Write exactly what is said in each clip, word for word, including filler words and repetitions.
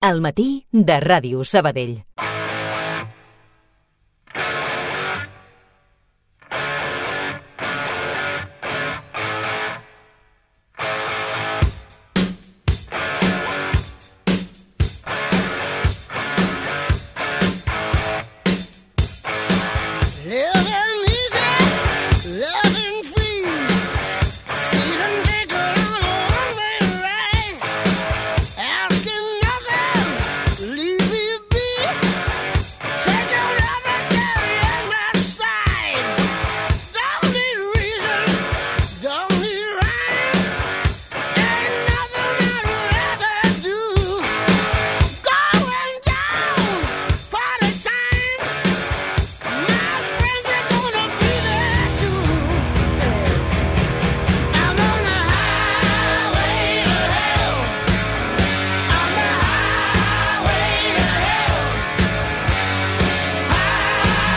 Al matí de Ràdio Sabadell.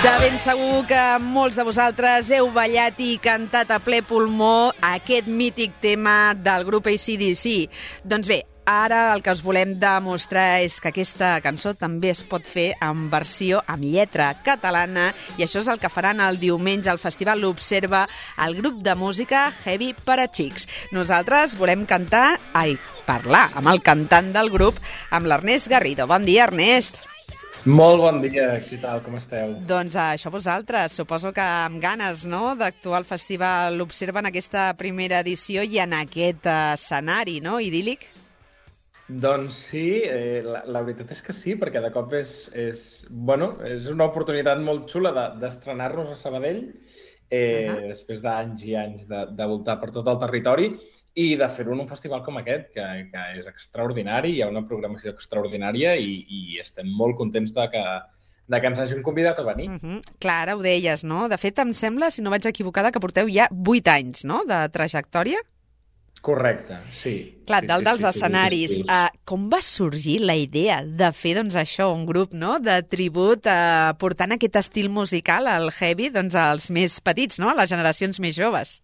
De ben segur que molts de vosaltres heu ballat i cantat a ple pulmó aquest mític tema del grup A C D C. Doncs bé, ara el que us volem demostrar és que aquesta cançó també es pot fer en versió amb lletra catalana i això és el que faran el diumenge al Festival L'Observa el grup de música Heavy per a Xics. Nosaltres volem cantar, ai, parlar amb el cantant del grup, amb l'Ernest Garrido. Bon dia, Ernest. Molt bon dia, què tal, com esteu? Doncs això vosaltres, suposo que amb ganes, no?, d'actuar al Festival L'Observa en aquesta primera edició i en aquest escenari, no?, idíl·lic? Doncs sí, eh, la, la veritat és que sí, perquè de cop és, és, bueno, és una oportunitat molt xula de, d'estrenar-nos a Sabadell, eh, uh-huh. després d'anys i anys de, de voltar per tot el territori, i de fer-ho en un festival com aquest, que, que és extraordinari, hi ha una programació extraordinària i, i estem molt contents de que, de que ens hagin convidat a venir. Uh-huh. Clar, ara ho deies, no? De fet, em sembla, si no vaig equivocada, que porteu ja vuit anys, no?, de trajectòria. Correcte, sí. Clar, sí, dalt sí, dels sí, escenaris. Sí, uh, com va sorgir la idea de fer, doncs, això, un grup, no?, de tribut, uh, portant aquest estil musical, el heavy, doncs, als més petits, no?, a les generacions més joves?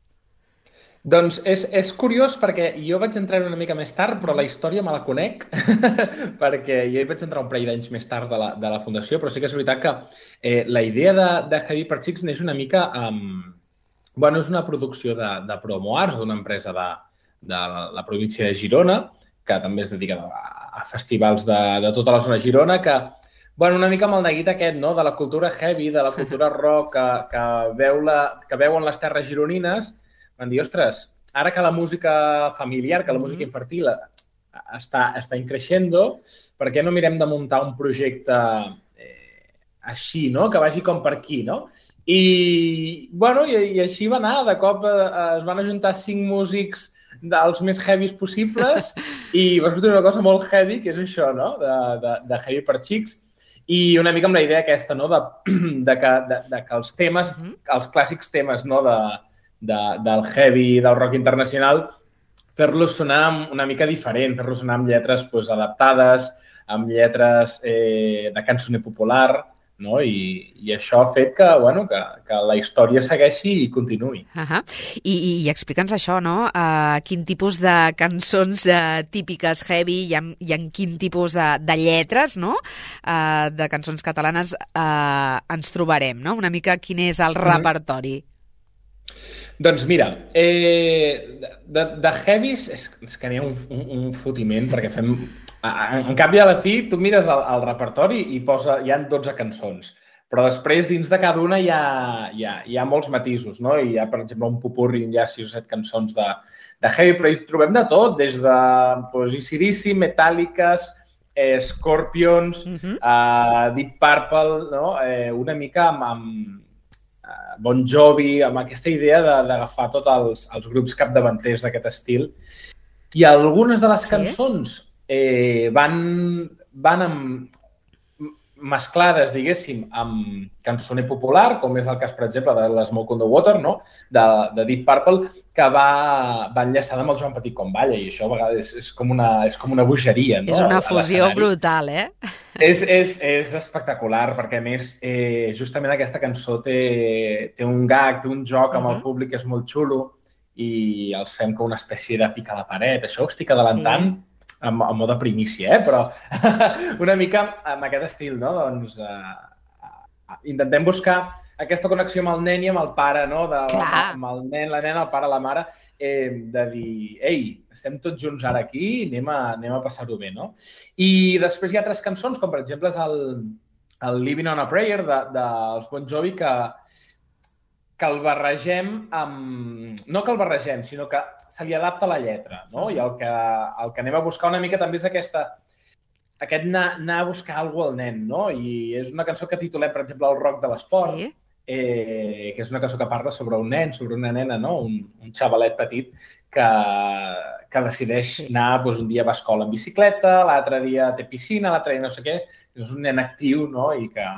Doncs és, és curiós perquè jo vaig entrar una mica més tard, però la història me la conec, perquè jo hi vaig entrar un parell d'anys més tard de la, de la fundació, però sí que és veritat que eh, la idea de, de Heavy per Xics neix una mica... Um, bueno, és una producció de, de Promo Arts, d'una empresa de, de la província de Girona, que també es dedica a, a festivals de, de tota la zona de Girona, que, bueno, una mica amb el neguit aquest, no?, de la cultura heavy, de la cultura rock, que, que, veu la, que veuen les terres gironines, van dir, ostres, ara que la música familiar, que la música infantil està, està increixendo, per què no mirem de muntar un projecte eh, així, no?, que vagi com per aquí, no? I, bueno, i, i així va anar. De cop eh, es van ajuntar cinc músics dels més heavies possibles i va sortir una cosa molt heavy, que és això, no?, de, de, de Heavy per Xics. I una mica amb la idea aquesta, no?, de, de, que, de, de que els temes, els clàssics temes, no?, de De, del heavy, del rock internacional, fer-los sonar una mica diferent, fer-los sonar amb lletres pues, adaptades, amb lletres eh, de cançoner popular, no? I, i això ha fet que, bueno, que, que la història segueixi i continuï. Uh-huh. I, i, i explica'ns això, no? Uh, quin tipus de cançons uh, típiques heavy i en, i en quin tipus de, de lletres, no?, uh, de cançons catalanes uh, ens trobarem, no? Una mica quin és el mm-hmm. repertori. Doncs mira, eh, de, de heavies és, és que n'hi ha un, un, un fotiment, perquè fem... En, en canvi, a la fi, tu mires el, el repertori i posa, hi ha dotze cançons, però després, dins de cada una, hi ha, hi ha, hi ha molts matisos, no? Hi ha, per exemple, un popurri, hi ha sis o set cançons de, de heavy, però hi trobem de tot, des de pues, A C D C, Metallica, eh, Scorpions, uh-huh. eh, Deep Purple, no? eh, una mica amb... amb Bon Jovi, amb aquesta idea de, d'agafar tots els, els grups capdavanters d'aquest estil. I algunes de les sí? cançons eh, van, van amb, mesclades, diguéssim, amb cançoner popular, com és el cas, per exemple, de l'Smoke on the Water, no?, de, de Deep Purple, que va, va enllaçada amb el Joan Petit com balla, i això a vegades és com una, és com una bogeria, no?, és una fusió brutal, eh? És, és, és espectacular, perquè a més, eh, justament aquesta cançó té, té un gag, té un joc amb uh-huh. el públic que és molt xulo, i els fem com una espècie de pica a la paret. Això ho estic adelantant, sí. en, en mode primícia, eh? Però una mica amb aquest estil, no? Doncs eh, intentem buscar aquesta connexió amb el nen i amb el pare, no? De, amb el nen, la nena, el pare, la mare, eh, de dir, ei, estem tots junts ara aquí, anem a, anem a passar-ho bé, no? I després hi ha altres cançons, com per exemple és el, el Living on a Prayer dels de, de Bon Jovi, que, que el barregem amb... No que el barregem, sinó que se li adapta la lletra, no? I el que, el que anem a buscar una mica també és aquesta, aquest anar, anar a buscar alguna cosa al nen, no? I és una cançó que titulem, per exemple, El rock de l'esport, sí. eh, que és una cançó que parla sobre un nen, sobre una nena, no? Un, un xavalet petit que, que decideix sí. anar, doncs, un dia va a escola en bicicleta, l'altre dia té piscina, l'altre dia no sé què, és un nen actiu, no? I que,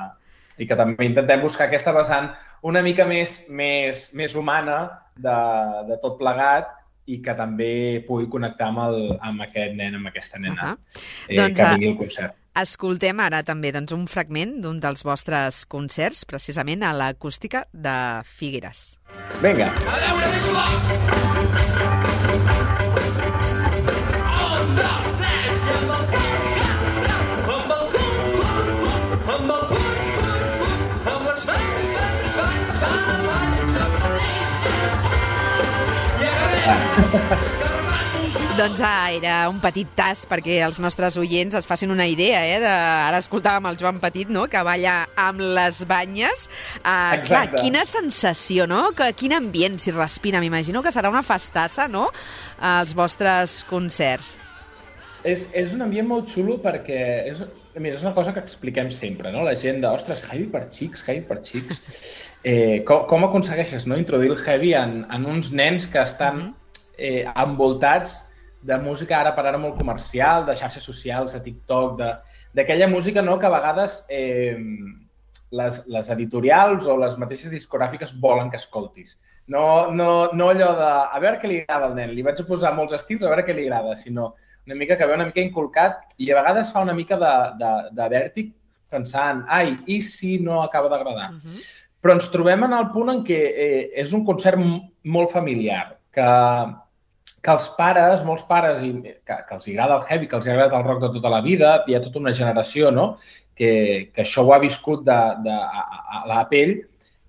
i que també intentem buscar aquesta vessant una mica més, més, més humana de, de tot plegat i que també pugui connectar amb, el, amb aquest nen, amb aquesta nena, uh -huh. eh, doncs, que vingui al concert. Escoltem ara també doncs, un fragment d'un dels vostres concerts, precisament a l'Acústica de Figueres. Vinga. Doncs ah, era un petit tas perquè els nostres oients es facin una idea, eh? De... Ara escoltàvem el Joan Petit, no?, que balla amb les banyes. Uh, clar, quina sensació, no? Que, quin ambient s'hi respira. M'imagino que serà una festassa, no?, als vostres concerts. És, és un ambient molt xulo perquè és, mira, és una cosa que expliquem sempre, no? La gent de, ostres, heavy per xics, heavy per xics. Eh, com, com aconsegueixes, no?, introduir el heavy en, en uns nens que estan eh, envoltats de música ara per ara molt comercial, de xarxes socials, de TikTok, d'aquella música, no?, que a vegades eh, les, les editorials o les mateixes discogràfiques volen que escoltis. No, no, no allò de, a veure què li agrada al nen, li vaig a posar molts estils, a veure què li agrada, sinó una mica que ve una mica inculcat i a vegades fa una mica de, de, de vèrtic pensant, ai, i si no acaba d'agradar? Uh-huh. Però ens trobem en el punt en què eh, és un concert molt familiar, que, que els pares, molts pares, i, que, que els agrada el heavy, que els agrada el rock de tota la vida, hi ha tota una generació, no?, que, que això ho ha viscut de, de, a, a la pell,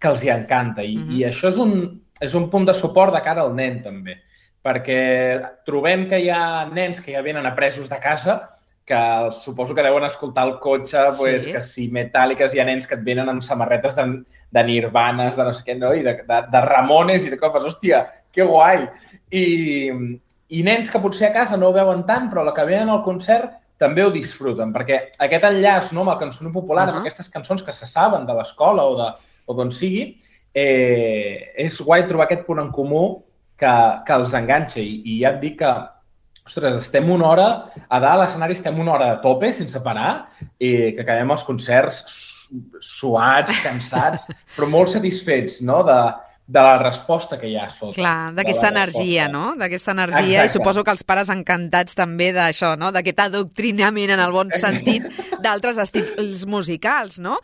que els hi encanta. I, uh-huh. i això és un, és un punt de suport de cara al nen, també, perquè trobem que hi ha nens que ja venen apresos de casa, que suposo que deuen escoltar al cotxe, pues, sí. que si metàl·liques, hi ha nens que et venen amb samarretes de, de Nirvanes, de no sé què, no? I de, de, de Ramones, i de cop, hòstia, que guai! I, I nens que potser a casa no ho veuen tant, però la que venen al concert també ho disfruten, perquè aquest enllaç, no?, amb el cançoner popular, uh-huh. amb aquestes cançons que se saben de l'escola o, de, o d'on sigui, eh, és guai trobar aquest punt en comú que, que els enganxa. I, i ja et dic que, ostres, estem una hora, a dalt a l'escenari estem una hora a tope, sense parar, i que acabem els concerts suats, cansats, però molt satisfets, no?, de, de la resposta que hi ha a sota. Clar, d'aquesta energia, no?, d'aquesta energia. Exacte. I suposo que els pares encantats també d'això, no?, d'aquest adoctrinament en el bon sentit d'altres estils musicals, no?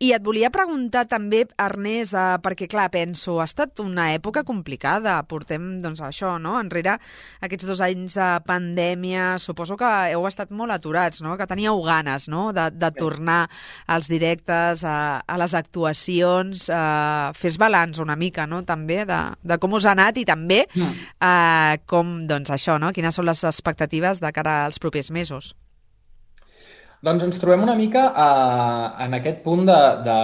I et volia preguntar també, Ernest, eh, perquè, clar, penso, ha estat una època complicada, portem, doncs, això, no?, enrere aquests dos anys de pandèmia, suposo que heu estat molt aturats, no?, que teníeu ganes, no?, de, de tornar als directes, a, a les actuacions, a fes balanç una mica, no?, també de, de com us ha anat i també mm. eh, com, doncs, això, no?, quines són les expectatives de cara als propers mesos. Doncs ens trobem una mica eh, en aquest punt de, de...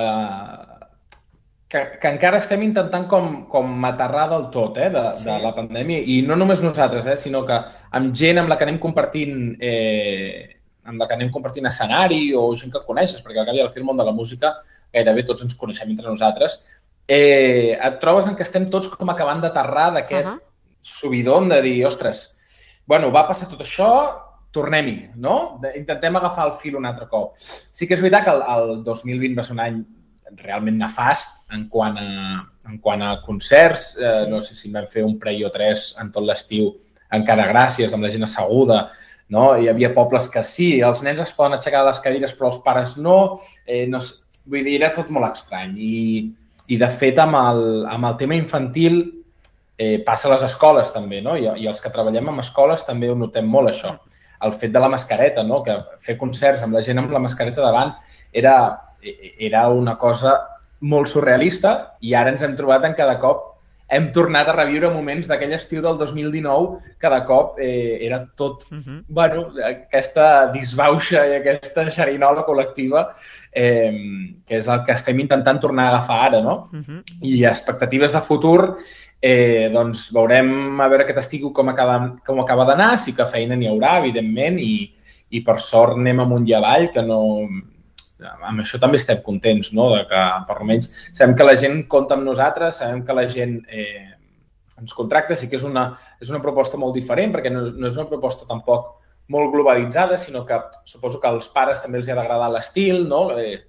Que, que encara estem intentant com, com aterrar del tot, eh, de, sí. de la pandèmia, i no només nosaltres, eh, sinó que amb gent amb la que anem compartint eh, amb la que anem compartint escenari o gent que coneixes, perquè al cap i al fi el món de la música gairebé tots ens coneixem entre nosaltres, eh, et trobes en què estem tots com acabant d'aterrar d'aquest uh-huh. subidon de dir, ostres, bueno, va passar tot això, tornem-hi, no? Intentem agafar el fil un altre cop. Sí que és veritat que el, el dos mil vint va ser un any realment nefast en quant a, en quant a concerts. Eh, sí. No sé si en vam fer un parell o tres en tot l'estiu, encara gràcies, amb la gent asseguda, no? Hi havia pobles que sí, els nens es poden aixecar de les cadires, però els pares no. Eh, no vull dir, era tot molt estrany. I, i de fet, amb el, amb el tema infantil eh, passa a les escoles també, no? I, i els que treballem en escoles també ho notem molt, això. el fet de la mascareta, no? Que fer concerts amb la gent amb la mascareta davant era, era una cosa molt surrealista i ara ens hem trobat en cada cop hem tornat a reviure moments d'aquell estiu del dos mil dinou que de cop eh, era tot, uh-huh. bueno, aquesta disbauxa i aquesta xerinola col·lectiva eh, que és el que estem intentant tornar a agafar ara, no? Uh-huh. I expectatives de futur, eh, doncs veurem a veure aquest estiu com acaba, com acaba d'anar, sí que feina n'hi haurà, evidentment, i, i per sort anem amunt i avall, que no... amb això també estem contents, no? De que, per almenys, sabem que la gent compta amb nosaltres, sabem que la gent eh, ens contracta, sí que és una, és una proposta molt diferent, perquè no, no és una proposta tampoc molt globalitzada, sinó que suposo que als pares també els ha d'agradar l'estil, no? Eh,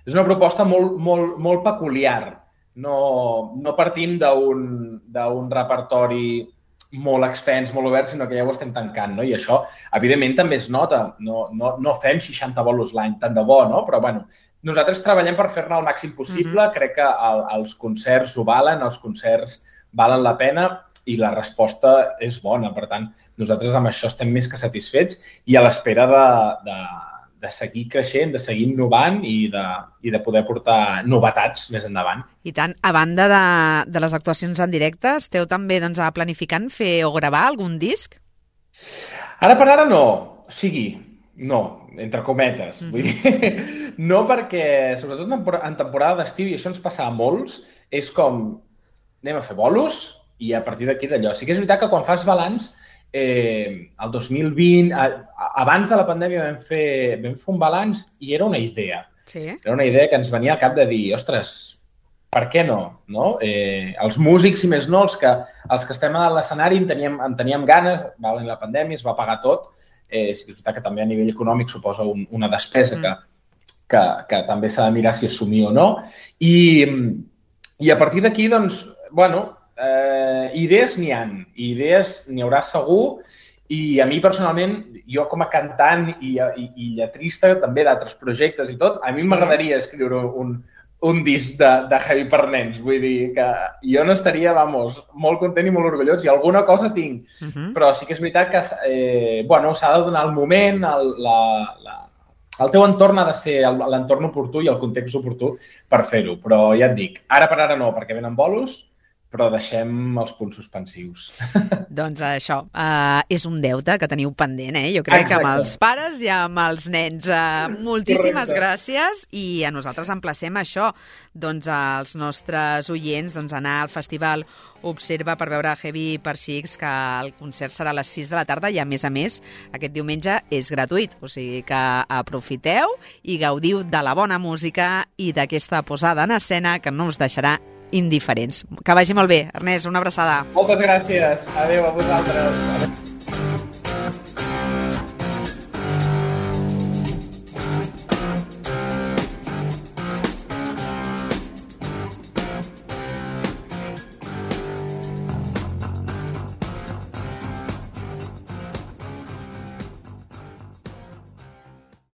és una proposta molt, molt, molt peculiar. No, no partim d'un d'un repertori molt extens, molt obert, sinó que ja ho estem tancant, no? I això, evidentment, també es nota. No, no, no fem seixanta bolos l'any, tant de bo, no? Però, bueno, nosaltres treballem per fer-ne el màxim possible. Mm-hmm. Crec que el, els concerts ho valen, els concerts valen la pena i la resposta és bona. Per tant, nosaltres amb això estem més que satisfets i a l'espera de, de, de seguir creixent, de seguir innovant i de, i de poder portar novetats més endavant. I tant, a banda de, de les actuacions en directe, esteu també doncs, planificant fer o gravar algun disc? Ara per ara no. O sigui, no, entre cometes. Mm-hmm. Vull dir, no perquè, sobretot en temporada d'estiu, i això ens passa a molts, és com anem a fer bolos i a partir d'aquí d'allò. Sí que és veritat que quan fas balanç, eh, el dos mil vint, a, abans de la pandèmia vam fer, vam fer un balanç i era una idea. Sí. Era una idea que ens venia al cap de dir, ostres, per què no? no? Eh, els músics, i més no, els que, els que estem a l'escenari en teníem, en teníem ganes, va venir la pandèmia, es va pagar tot, eh, és veritat que també a nivell econòmic suposa un, una despesa mm. que, que, que també s'ha de mirar si assumir o no. I, i a partir d'aquí, doncs, bueno, eh, idees n'hi ha, idees n'hi haurà segur, i a mi personalment, jo com a cantant i, i, i lletrista també d'altres projectes i tot, a mi sí. m'agradaria escriure un, un disc de, de heavy per nens. Vull dir que jo no estaria, vamos, molt content i molt orgullós, i alguna cosa tinc. Uh-huh. Però sí que és veritat que eh, bueno, s'ha de donar el moment, el, la, la, el teu entorn ha de ser l'entorn oportú i el context oportú per fer-ho. Però ja et dic, ara per ara no, perquè venen bolos, però deixem els punts suspensius. Doncs això, uh, és un deute que teniu pendent, eh? Jo crec Exacte. que amb els pares i amb els nens. Uh, moltíssimes Correcte. gràcies i a nosaltres emplacem això, doncs als nostres oients doncs, anar al festival Observa per veure Heavy per Xics, que el concert serà a les sis de la tarda i, a més a més, aquest diumenge és gratuït. O sigui que aprofiteu i gaudiu de la bona música i d'aquesta posada en escena que no us deixarà indiferents. Que vagi molt bé. Ernest, una abraçada. Moltes gràcies. Adéu a vosaltres. Adéu.